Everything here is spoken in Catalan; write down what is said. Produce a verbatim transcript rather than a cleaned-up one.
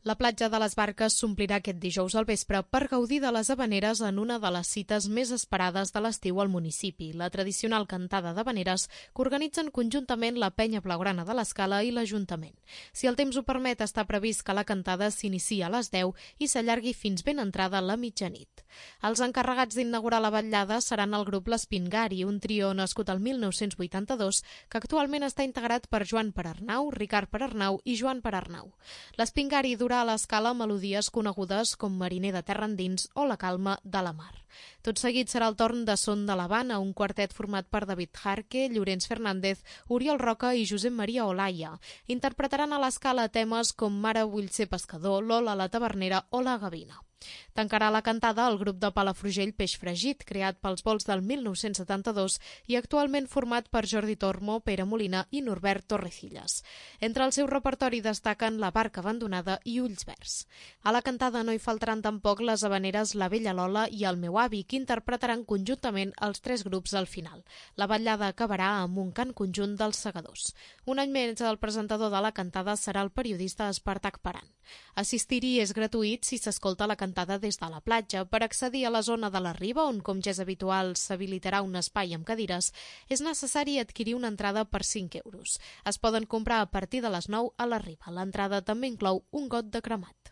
La platja de les Barques s'omplirà aquest dijous al vespre per gaudir de les havaneres en una de les cites més esperades de l'estiu al municipi, la tradicional cantada d'havaneres que organitzen conjuntament la Penya Blaugrana de l'Escala i l'Ajuntament. Si el temps ho permet, està previst que la cantada s'iniciï a les deu i s'allargui fins ben entrada la mitjanit. Els encarregats d'inaugurar la vetllada seran el grup L'Espingari, un trio nascut el mil nou-cents vuitanta-dos que actualment està integrat per Joan Perarnau, Ricard Perarnau i Joan Perarnau. L'Espingari durà a l'Escala melodies conegudes com Mariner de terra endins o La calma de la mar. Tot seguit serà el torn de Son de l'Havana, un quartet format per David Jarque, Llorenç Fernández, Oriol Roca i Josep Maria Olaya. Interpretaran a l'Escala temes com Mare vull ser pescador, Lola la tavernera o La gavina. Tancarà la cantada el grup de Palafrugell Peix Fregit, creat pels vols del mil nou-cents setanta-dos i actualment format per Jordi Tormo, Pere Molina i Norbert Torrecillas. Entre el seu repertori destaquen La barca abandonada i Ulls verds. A la cantada no hi faltaran tampoc les havaneres La vella Lola i El meu avi, que interpretaran conjuntament els tres grups al final. La vetllada acabarà amb un cant conjunt dels segadors. Un any més, el presentador de la cantada serà el periodista Espartac Paran. Assistir-hi és gratuït si s'escolta la cantada des de la platja. Per accedir a la zona de la riba, on com ja és habitual s'habilitarà un espai amb cadires, és necessari adquirir una entrada per cinc euros. Es poden comprar a partir de les nou a la riba. L'entrada també inclou un got de cremat.